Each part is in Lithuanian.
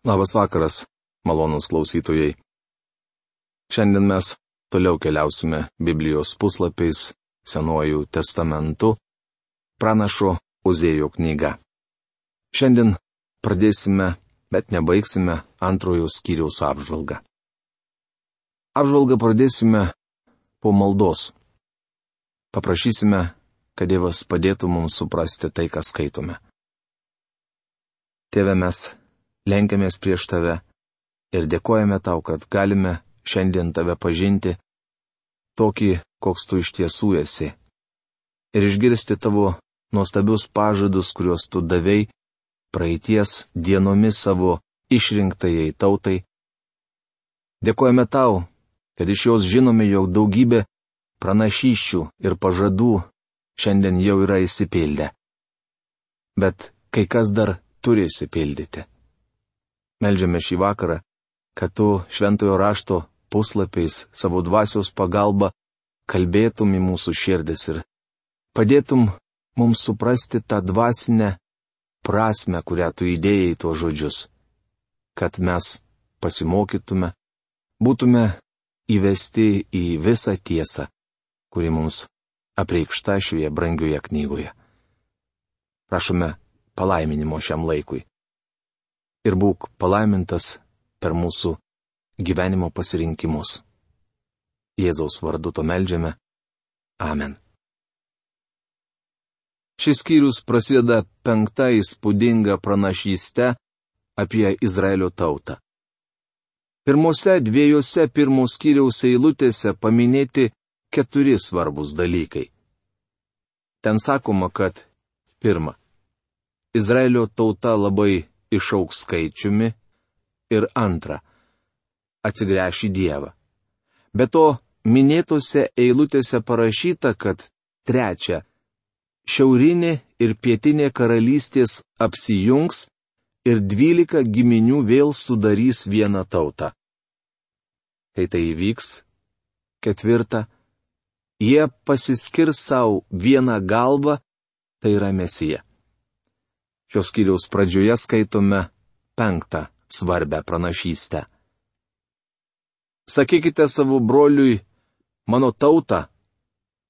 Labas vakaras, malonūs klausytojai. Šiandien mes toliau keliausime Biblijos puslapiais Senuoju testamentu, pranašo Ozėjo knyga. Šiandien pradėsime, bet nebaigsime antrojo skyriaus apžvalgą. Apžvalgą pradėsime po maldos. Paprašysime, kad Dievas padėtų mums suprasti tai, ką skaitome. Tėve, mes lenkiamės prieš Tave ir dėkojame Tau, kad galime šiandien Tave pažinti tokį, koks Tu iš tiesų esi. Ir išgirsti Tavo nuostabius pažadus, kuriuos Tu davei praeities dienomis savo išrinktajai tautai. Dėkojame Tau, kad iš jos žinome, jog daugybė pranašysčių ir pažadų šiandien jau yra išsipildę. Bet kai kas dar turi išsipildyti. Meldžiame šį vakarą, kad Tu šventojo rašto puslapiais savo dvasios pagalba kalbėtum į mūsų širdis ir padėtum mums suprasti tą dvasinę prasmę, kurią Tu įdėjai į tuos žodžius, kad mes pasimokytume, būtume įvesti į visą tiesą, kuri mums apreikšta šioje brangioje knygoje. Prašome palaiminimo šiam laikui. Ir būk palaimintas per mūsų gyvenimo pasirinkimus. Jėzaus vardu to meldžiame. Amen. Šis skyrius prasideda 5 įspūdinga pranašyste apie Izraelio tautą. Pirmose 2 pirmo skyriaus eilutėse paminėti 4 svarbus dalykai. Ten sakoma, kad 1. Izraelio tauta labai išaugs skaičiumi ir 2. Atsigręš į Dievą. Be to, minėtose eilutėse parašyta, kad 3. Šiaurinė ir pietinė karalystės apsijungs ir 12 giminių vėl sudarys vieną tautą. Kai tai įvyks, 4. Jie pasiskirs savo vieną galvą, tai yra Mesija. Šios skyriaus pradžioje skaitome 5 svarbę pranašystę. Sakykite savo broliui, mano tauta,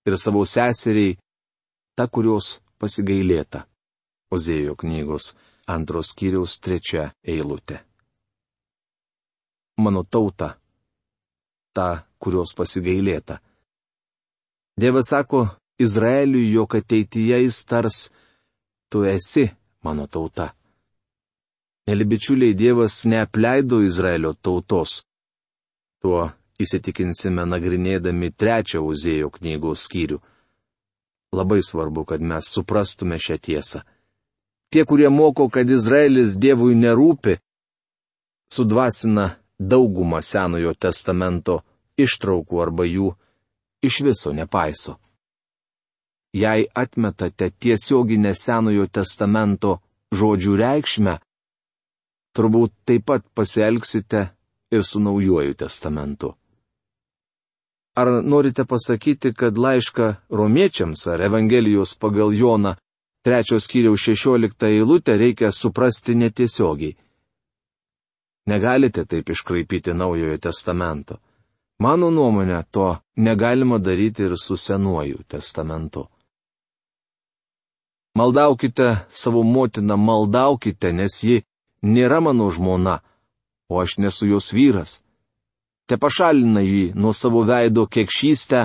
ir savo seseriai, ta, kurios pasigailėta. Ozėjo knygos 2 skyriaus 3 eilutė. Mano tauta, ta, kurios pasigailėta. Dievas sako Izraeliui, jog ateityje jis tars, tu esi mano tauta. Mėly bičiuliai, Dievas neapleido Izraelio tautos. Tuo įsitikinsime nagrinėdami 3 Ozėjo knygos skyrių. Labai svarbu, kad mes suprastume šią tiesą. Tie, kurie moko, kad Izraelis Dievui nerūpi, sudvasina daugumą Senojo testamento ištraukų arba jų iš viso nepaiso. Jei atmetate tiesioginę Senojo testamento žodžių reikšmę, turbūt taip pat pasielgsite ir su Naujuoju testamentu. Ar norite pasakyti, kad laišką romiečiams ar Evangelijos pagal Joną 3 skyriaus 16 eilutę reikia suprasti netiesiogiai? Negalite taip iškraipyti Naujojo testamento. Mano nuomonė, to negalima daryti ir su Senuoju testamentu. Maldaukite savo motiną, maldaukite, nes ji nėra mano žmona, o aš nesu jos vyras. Te pašalina jį nuo savo veido kekšystę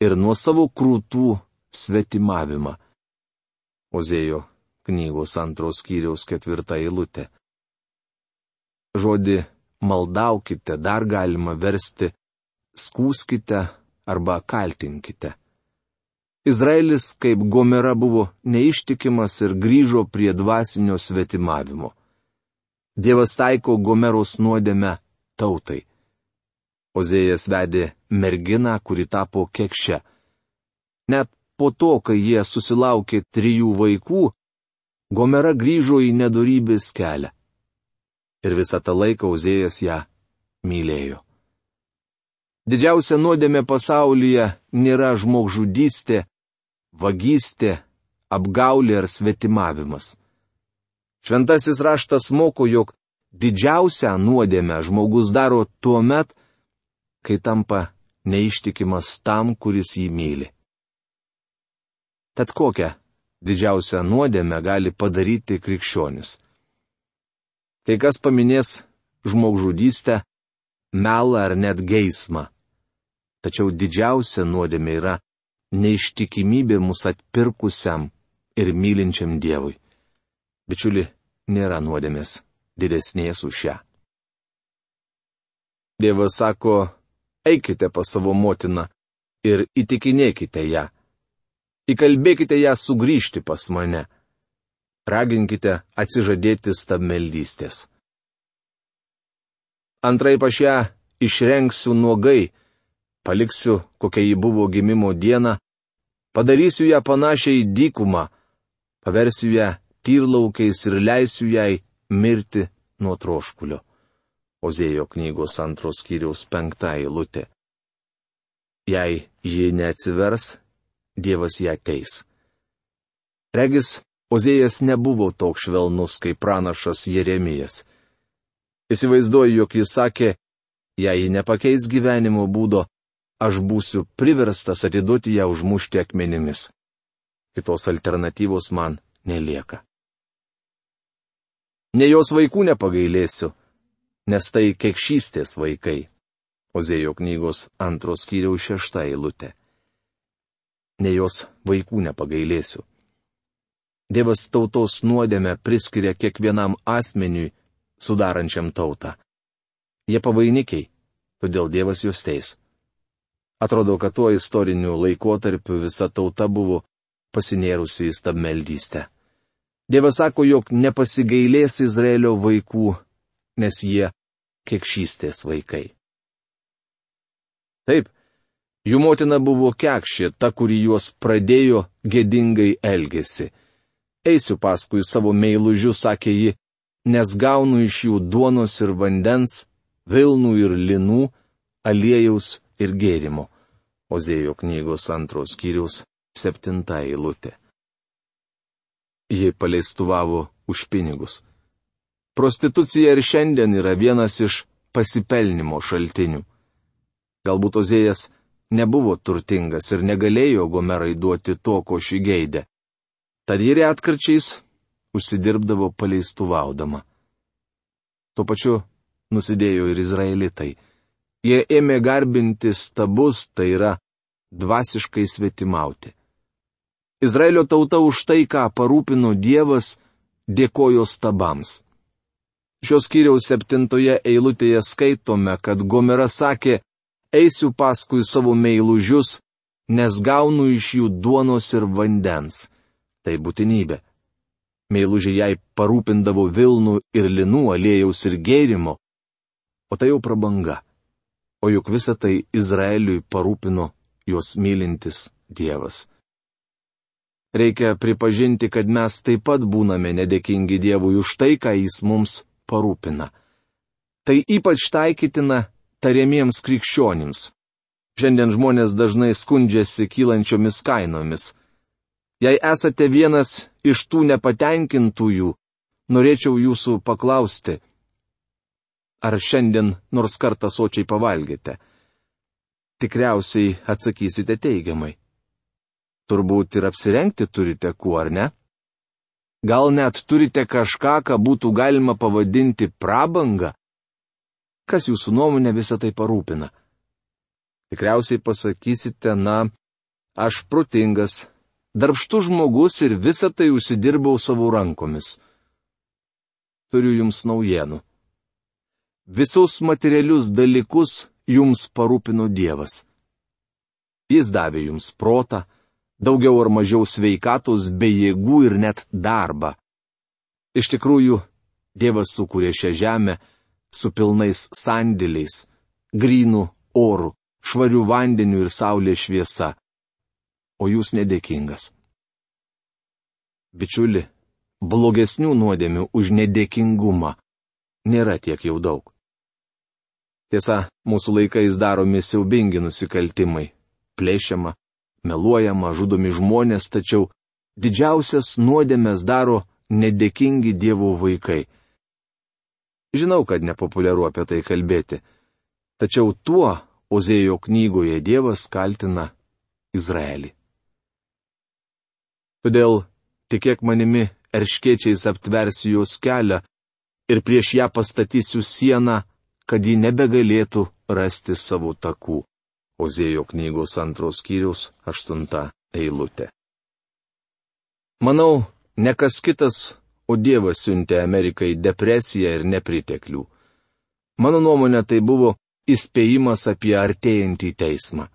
ir nuo savo krūtų svetimavimą. Ozėjo knygos 2 skyriaus 4 eilutė. Žodį maldaukite dar galima versti skųskite arba kaltinkite. Izraelis kaip Gomera buvo neištikimas ir grįžo prie dvasinio svetimavimo. Dievas taiko Gomeros nuodėmę tautai. Ozėjas vedė merginą, kuri tapo kekše. Net po to, kai jie susilaukė 3 vaikų, Gomera grįžo į nedorybės kelią. Ir visą tą laiką Ozėjas ją mylėjo. Didžiausia nuodėmė pasaulyje nėra žmogžudystė, vagystė, apgaulė ar svetimavimas. Šventasis raštas moko, jog didžiausią nuodėmę žmogus daro tuo met, kai tampa neištikimas tam, kuris jį myli. Tad kokią didžiausią nuodėmę gali padaryti krikščionis? Kai kas paminės žmogžudystę, melą ar net geismą. Tačiau didžiausia nuodėmė yra neištikimybė mus atpirkusiam ir mylinčiam Dievui. Bičiuli, nėra nuodėmės didesnės už šią. Dievas sako, eikite pas savo motiną ir įtikinėkite ją. Įkalbėkite ją sugrįžti pas mane. Raginkite atsižadėti stabmeldystės. Antraip aš ją išrengsiu nuogai, paliksiu, kokia ji buvo gimimo dieną, padarysiu ją panašią į dykumą, paversiu ją tyrlaukiais ir leisiu jai mirti nuo troškulio. Ozėjo knygos 2 skyriaus 5 eilutė. Jei ji neatsivers, Dievas ją teis. Regis, Ozėjas nebuvo toks švelnus kaip pranašas Jeremijas. Įsivaizduoju, jog jis sakė, jei ji nepakeis gyvenimo būdo, aš būsiu priverstas atiduoti ją užmušti akmenimis. Kitos alternatyvos man nelieka. Ne jos vaikų nepagailėsiu, nes tai kekšystės vaikai. Ozėjo knygos 2 skyriaus 6 eilutė. Ne jos vaikų nepagailėsiu. Dievas tautos nuodėmę priskiria kiekvienam asmeniui, sudarančiam tautą. Jie pavainikiai, todėl Dievas juos teis. Atrodo, kad tuo istoriniu laikotarpiu visa tauta buvo pasinėrusi į stabmeldystę. Dievas sako, jog nepasigailės Izraelio vaikų, nes jie kekšystės vaikai. Taip, jų motina buvo kekšė, ta, kuri juos pradėjo, gėdingai elgėsi. Eisiu paskui savo meilužius, sakė ji, nes gaunu iš jų duonos ir vandens, vilnų ir linų, aliejaus ir gėrimo. Ozėjo knygos 2 skyriaus 7 eilutė. Ji paleistuvavo už pinigus. Prostitucija ir šiandien yra vienas iš pasipelnimo šaltinių. Galbūt Ozėjas nebuvo turtingas ir negalėjo Gomerai duoti to, ko ši geidė. Tad ji retkarčiais užsidirbdavo paleistuvaudama. Tuo pačiu nusidėjo ir izraelitai. Jie ėmė garbinti stabus, tai yra dvasiškai svetimauti. Izraelio tauta už tai, ką parūpino Dievas, dėkojo stabams. Šios skyriaus 7 eilutėje skaitome, kad Gomera sakė, eisiu paskui savo meilužius, nes gaunu iš jų duonos ir vandens. Tai būtinybė. Meilužiai jai parūpindavo vilnų ir linų, aliejaus ir gėrimo, o tai jau prabanga. O juk visą tai Izraeliui parūpino juos mylintis Dievas. Reikia pripažinti, kad mes taip pat būname nedėkingi Dievui už tai, ką Jis mums parūpina. Tai ypač taikytina tariamiems krikščionims. Šiandien žmonės dažnai skundžiasi kylančiomis kainomis. Jei esate vienas iš tų nepatenkintųjų, norėčiau jūsų paklausti, ar šiandien nors kartą sočiai pavalgėte? Tikriausiai atsakysite teigiamai. Turbūt ir apsirengti turite kuo, ar ne? Gal net turite kažką, ką būtų galima pavadinti prabanga? Kas jūsų nuomonė visą tai parūpina? Tikriausiai pasakysite, aš protingas, darbštus žmogus ir visą tai užsidirbau savo rankomis. Turiu jums naujienų. Visus materialius dalykus jums parūpino Dievas. Jis davė jums protą, daugiau ar mažiau sveikatos bei jėgų ir net darbą. Iš tikrųjų, Dievas sukūrė šią žemę su pilnais sandėliais, grynų orų, švarių vandenių ir saulės šviesa. O jūs nedėkingas. Bičiuli, blogesnių nuodėmių už nedėkingumą nėra tiek jau daug. Tiesa, mūsų laikais daromi siaubingi nusikaltimai. Plėšiama, meluojama, žudomi žmonės, tačiau didžiausias nuodėmes daro nedėkingi Dievo vaikai. Žinau, kad nepopuliaru apie tai kalbėti. Tačiau tuo Ozėjo knygoje Dievas kaltina Izraelį. Todėl tikėk manimi, erškėčiais aptversiu jos kelią ir prieš ją pastatysiu sieną, kad ji nebegalėtų rasti savo takų. Ozėjo knygos 2 skyriaus 8 eilutė. Manau, ne kas kitas, o Dievas siuntė Amerikai depresiją ir nepriteklių. Mano nuomonė, tai buvo įspėjimas apie artėjantį teismą.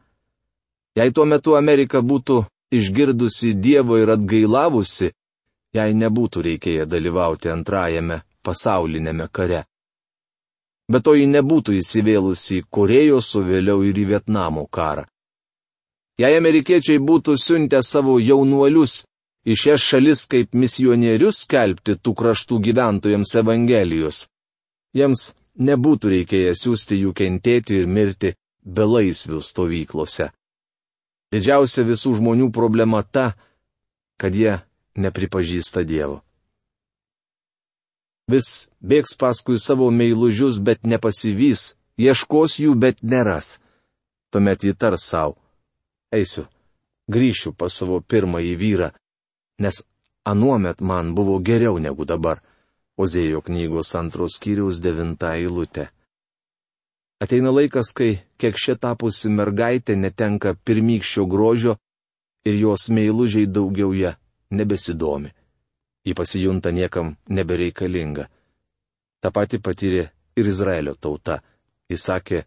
Jei tuo metu Amerika būtų išgirdusi Dievą ir atgailavusi, jai nebūtų reikėję dalyvauti antrajame pasaulinėme kare. Bet to ji nebūtų įsivėlusi į Korėjos, o vėliau ir į Vietnamo karą. Jei amerikiečiai būtų siuntę savo jaunuolius į šias šalis kaip misionierius skelbti tų kraštų gyventojams Evangelijos, jiems nebūtų reikėję siųsti jų kentėti ir mirti belaisvių stovyklose. Didžiausia visų žmonių problema ta, kad jie nepripažįsta Dievo. Vis bėgs paskui savo meilužius, bet nepasivys, ieškos jų, bet neras. Tuomet ji tars savo: eisiu, grįšiu pas savo pirmąjį vyrą, nes anuomet man buvo geriau negu dabar. Ozėjo knygos 2 skyriaus 9 eilutė. Ateina laikas, kai kekšė tapusi mergaitė netenka pirmykščio grožio ir jos meilužiai daugiau ją nebesidomi. Ji pasijunta niekam nebereikalinga. Ta pati patyrė ir Izraelio tauta. Jis sakė: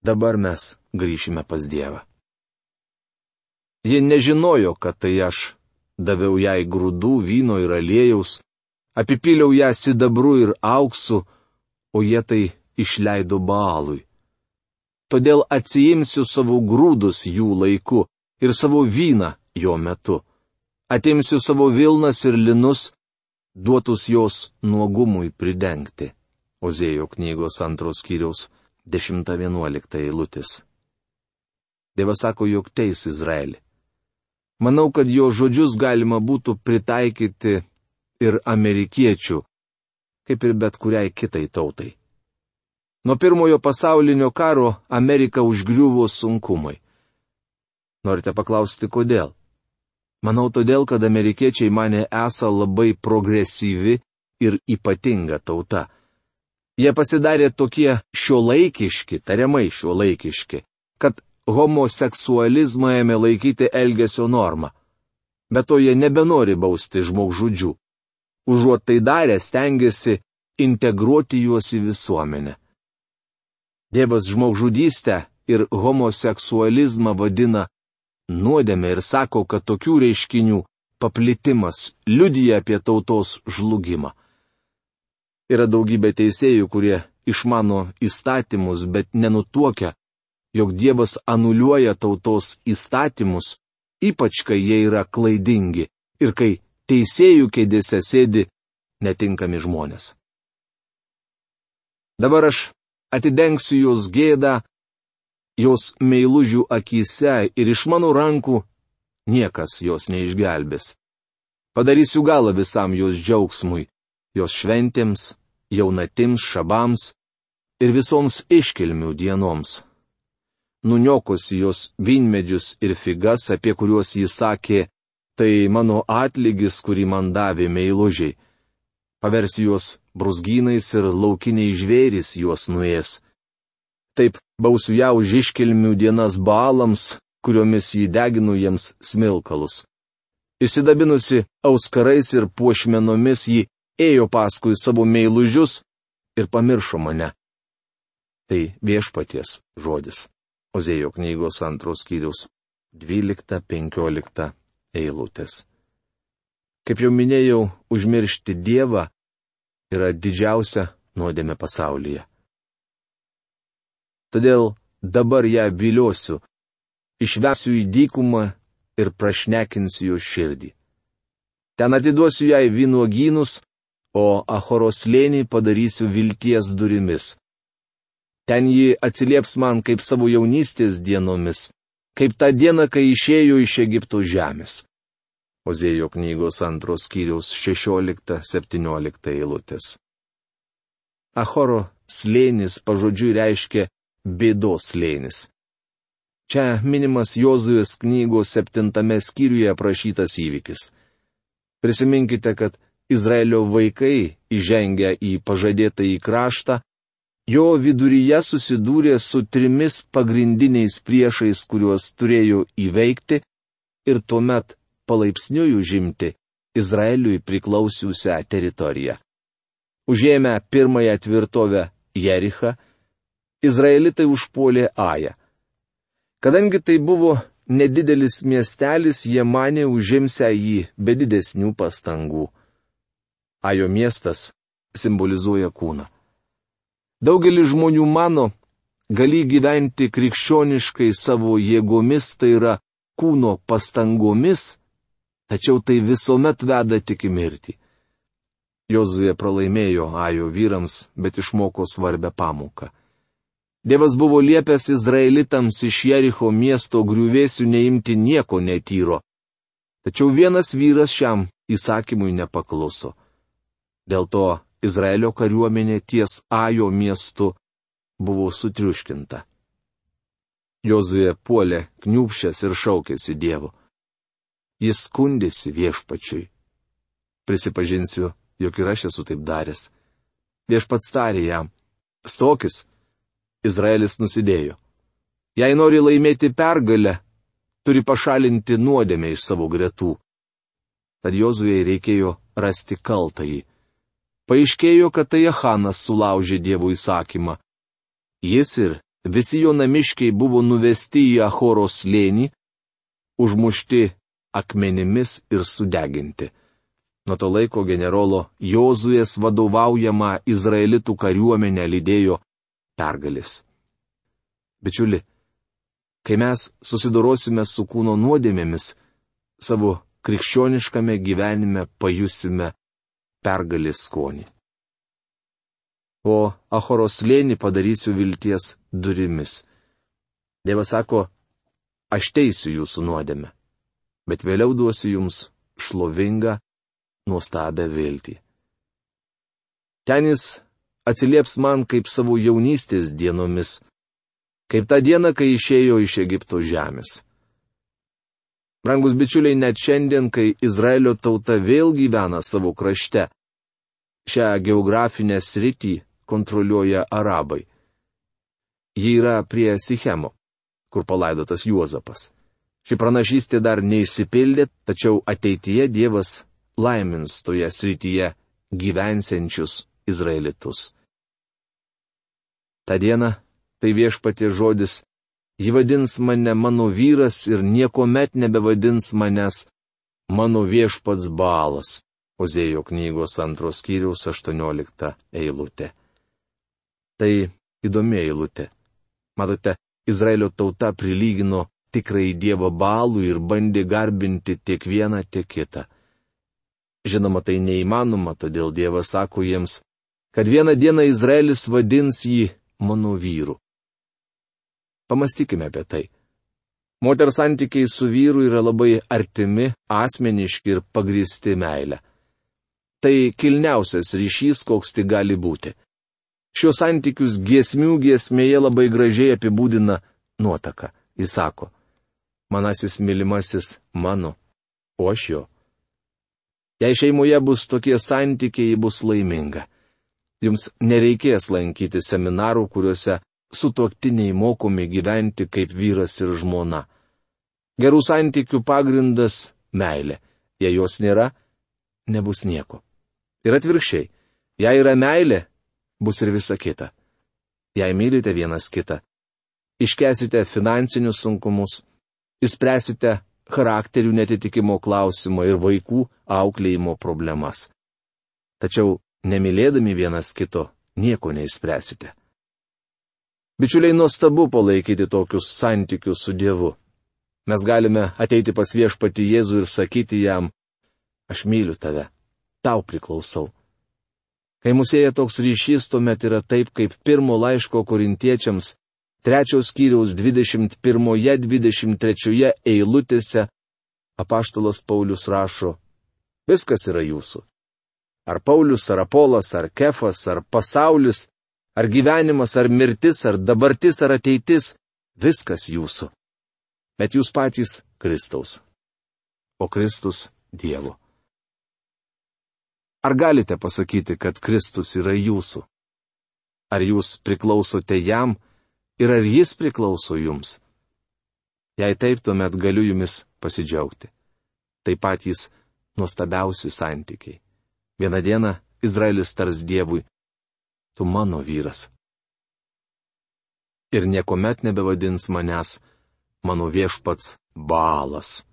dabar mes grįšime pas Dievą. Ji nežinojo, kad tai aš daviau jai grūdų, vyno ir aliejaus, apipyliau ją sidabru ir auksu, o jie tai išleido Baalui. Todėl atsiimsiu savo grūdus jų laiku ir savo vyną jo metu. Atimsiu savo vilnas ir linus, duotus jos nuogumui pridengti. Ozėjo knygos 2 skyriaus 10-11 eilutės. Dievas sako, jog teis Izraelį. Manau, kad jo žodžius galima būtų pritaikyti ir amerikiečių, kaip ir bet kuriai kitai tautai. Nuo pirmojo pasaulinio karo Ameriką užgriuvo sunkumai. Norite paklausti, kodėl? Manau, todėl, kad amerikiečiai mane esą labai progresyvi ir ypatinga tauta. Jie pasidarė tokie šiuolaikiški, tariamai šiuolaikiški, kad homoseksualizmą ėmė laikyti elgesio norma. Bet to jie nebenori bausti žmogžudžių. Užuot tai darę, stengiasi integruoti juos į visuomenę. Dievas žmogžudystę ir homoseksualizmą vadina nuodėmė ir sako, kad tokių reiškinių paplitimas liudija apie tautos žlugimą. Yra daugybė teisėjų, kurie išmano įstatymus, bet nenutuokia, jog Dievas anuliuoja tautos įstatymus, ypač kai jie yra klaidingi ir kai teisėjų kėdėse sėdi netinkami žmonės. Dabar aš atidengsiu jos gėdą, jos meilužių akyse ir iš mano rankų niekas jos neišgelbės. Padarysiu galą visam jos džiaugsmui, jos šventėms, jaunatims, šabams ir visoms iškilmių dienoms. Nuniokosi jos vynmedžius ir figas, apie kuriuos jis sakė, tai mano atlygis, kurį man davė meilužiai. Paversi juos brūzgynais ir laukiniai žvėrys juos nuės. Taip bausiu ją už iškilmių dienas Baalams, kuriomis jį deginu jiems smilkalus. Įsidabinusi auskarais ir puošmenomis jį ėjo paskui savo meilužius ir pamiršo mane. Tai Viešpaties žodis. Ozėjo knygos 2 skyriaus 12-15 eilutės. Kaip jau minėjau, užmiršti Dievą yra didžiausia nuodėmė pasaulyje. Todėl dabar ją viliosiu, išvesiu į dykumą ir prašnekinsiu jo širdį. Ten atiduosiu jai vynuogynus, o Achoros slėnį padarysiu vilties durimis. Ten ji atsilieps man kaip savo jaunystės dienomis, kaip tą dieną, kai išėjo iš Egipto žemės. Ozėjo knygos 2 skyriaus 16-17 eilutės. Achoro slėnis pažodžiui reiškia bėdos slėnis. Čia minimas Jozujos knygos 7 skyriuje aprašytas įvykis. Prisiminkite, kad Izraelio vaikai, įžengę į pažadėtąjį kraštą, jo viduryje susidūrė su 3 pagrindiniais priešais, kuriuos turėjo įveikti ir tuomet palaipsniui užimti Izraeliui priklausiusią teritoriją. Užėmę pirmąją tvirtovę Jerichą, izraelitai užpuolė Ają. Kadangi tai buvo nedidelis miestelis, jie manė užimsią jį be didesnių pastangų. Ajo miestas simbolizuoja kūną. Daugelis žmonių mano, gali gyventi krikščioniškai savo jėgomis, tai yra kūno pastangomis, tačiau tai visuomet veda tik į mirtį. Jozuė pralaimėjo Ajo vyrams, bet išmoko svarbę pamoką. Dievas buvo liepęs izraelitams iš Jericho miesto griuvėsių neimti nieko netyro. Tačiau vienas vyras šiam įsakymui nepakluso. Dėl to Izraelio kariuomenė ties Ajo miestu buvo sutriuškinta. Jozuė puolė kniūbsčias ir šaukėsi Dievo. Jis skundėsi Viešpačiui. Prisipažinsiu, jog ir aš esu taip daręs. Viešpats tarė jam: stokis. Izraelis nusidėjo. Jei nori laimėti pergalę, turi pašalinti nuodėmę iš savo gretų. Tad Jozuei reikėjo rasti kaltąjį. Paaiškėjo, kad tai Achanas sulaužė Dievo įsakymą. Jis ir visi jo namiškiai buvo nuvesti į Achoro slėnį, užmušti akmenimis ir sudeginti. Nuo to laiko generolo Jozuės vadovaujama izraelitų kariuomenė lydėjo pergalės. Bičiuli, kai mes susidorosime su kūno nuodėmėmis, savo krikščioniškame gyvenime pajusime pergalės skonį. O Achoro slėnį padarysiu vilties durimis. Dievas sako: aš teisiu jūsų nuodėmę, bet vėliau duosiu jums šlovingą, nuostabią viltį. Ten jis atsilieps man kaip savo jaunystės dienomis, kaip tą dieną, kai išėjo iš Egipto žemės. Brangus bičiuliai, net šiandien, kai Izraelio tauta vėl gyvena savo krašte, šią geografinę sritį kontroliuoja arabai. Ji yra prie Sichemo, kur palaidotas Juozapas. Ši pranašystė dar neišsipildė, tačiau ateityje Dievas laimins toje srityje gyvensiančius izraelitus. Ta diena, tai Viešpaties žodis, ji vadins mane mano vyras ir niekuomet nebevadins manęs mano viešpats Baalas. Ozėjo knygos 2 skyriaus 18 eilutė. Tai įdomi eilutė. Matote, Izraelio tauta prilygino tikrai Dievo Baalui ir bandė garbinti tiek vieną, tiek kitą. Žinoma, tai neįmanoma, todėl Dievas sako jiems, kad vieną dieną Izraelis vadins jį mano vyru. Pamastykime apie tai. Moters santykiai su vyru yra labai artimi, asmeniški ir pagrįsti meilę. Tai kilniausias ryšys, koks tik gali būti. Šios santykius giesmių giesmėje labai gražiai apibūdina nuotaka. Jis sako: manasis mylimasis mano, o aš jo. Jei šeimoje bus tokie santykiai, ji bus laiminga. Jums nereikės lankyti seminarų, kuriuose sutuoktiniai mokomi gyventi kaip vyras ir žmona. Gerų santykių pagrindas - meilė. Jei jos nėra, nebus nieko. Ir atvirkščiai, jei yra meilė, bus ir visa kita. Jei mylite vienas kitą, iškęsite finansinius sunkumus, išspręsite charakterių netitikimo klausimą ir vaikų auklėjimo problemas. Tačiau nemylėdami vienas kito nieko neišspręsite. Bičiuliai, nuostabu palaikyti tokius santykius su Dievu. Mes galime ateiti pas Viešpatį Jėzų ir sakyti jam: aš myliu tave, tau priklausau. Kai mus sieja toks ryšys, tuomet yra taip, kaip 1 laiško Korintiečiams 3 skyriaus 21-23 eilutėse apaštalas Paulius rašo: viskas yra jūsų. Ar Paulius, ar Apolas, ar Kefas, ar pasaulis, ar gyvenimas, ar mirtis, ar dabartis, ar ateitis - viskas jūsų. Bet jūs patys Kristaus. O Kristus Dievo. Ar galite pasakyti, kad Kristus yra jūsų? Ar jūs priklausote jam ir ar jis priklauso jums? Jei taip, tuomet galiu jumis pasidžiaugti. Tai patys nuostabiausi santykiai. Vieną dieną Izraelis tars Dievui: tu mano vyras. Ir niekuomet nebevadins manęs mano viešpats Baalas.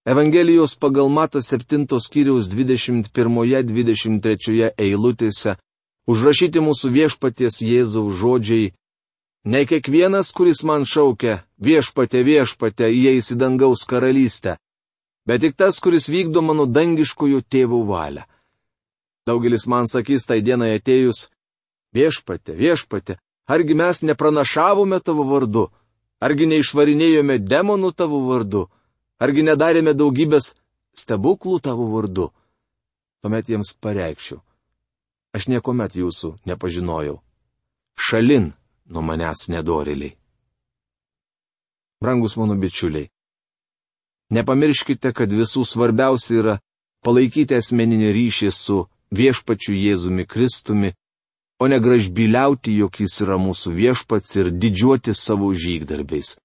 Evangelijos pagal Matą 7 skyriaus 21-23 eilutėse užrašyti mūsų viešpaties Jėzaus žodžiai: ne kiekvienas, kuris man šaukia viešpate, viešpate, įeis į dangaus karalystę, bet tik tas, kuris vykdo mano dangiškojo tėvo valią. Daugelis man sakys tai dienai atėjus: viešpate, viešpate, argi mes nepranašavome tavo vardu, argi neišvarinėjome demonų tavo vardu, argi nedarėme daugybės stebuklų tavo vardu. Tuomet jiems pareikšiu: aš niekuomet jūsų nepažinojau. Šalin nuo manęs nedorėliai. Brangus mano bičiuliai, nepamirškite, kad visų svarbiausia yra palaikyti asmeninį ryšį su viešpačiu Jėzumi Kristumi, o ne gražbyliauti, jog jis yra mūsų viešpats ir didžiuoti savo žygdarbiais.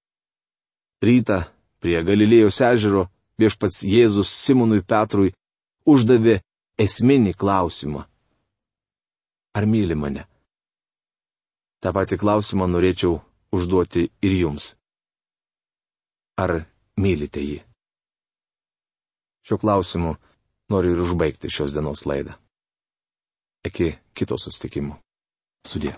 Rytą prie Galilėjos ežero viešpats Jėzus Simonui Petrui uždavė esminį klausimą: ar myli mane? Ta pati klausimą norėčiau užduoti ir jums. Ar mylite jį? Šiuo klausimu noriu ir užbaigti šios dienos laidą. Iki kito susitikimo. Sudie.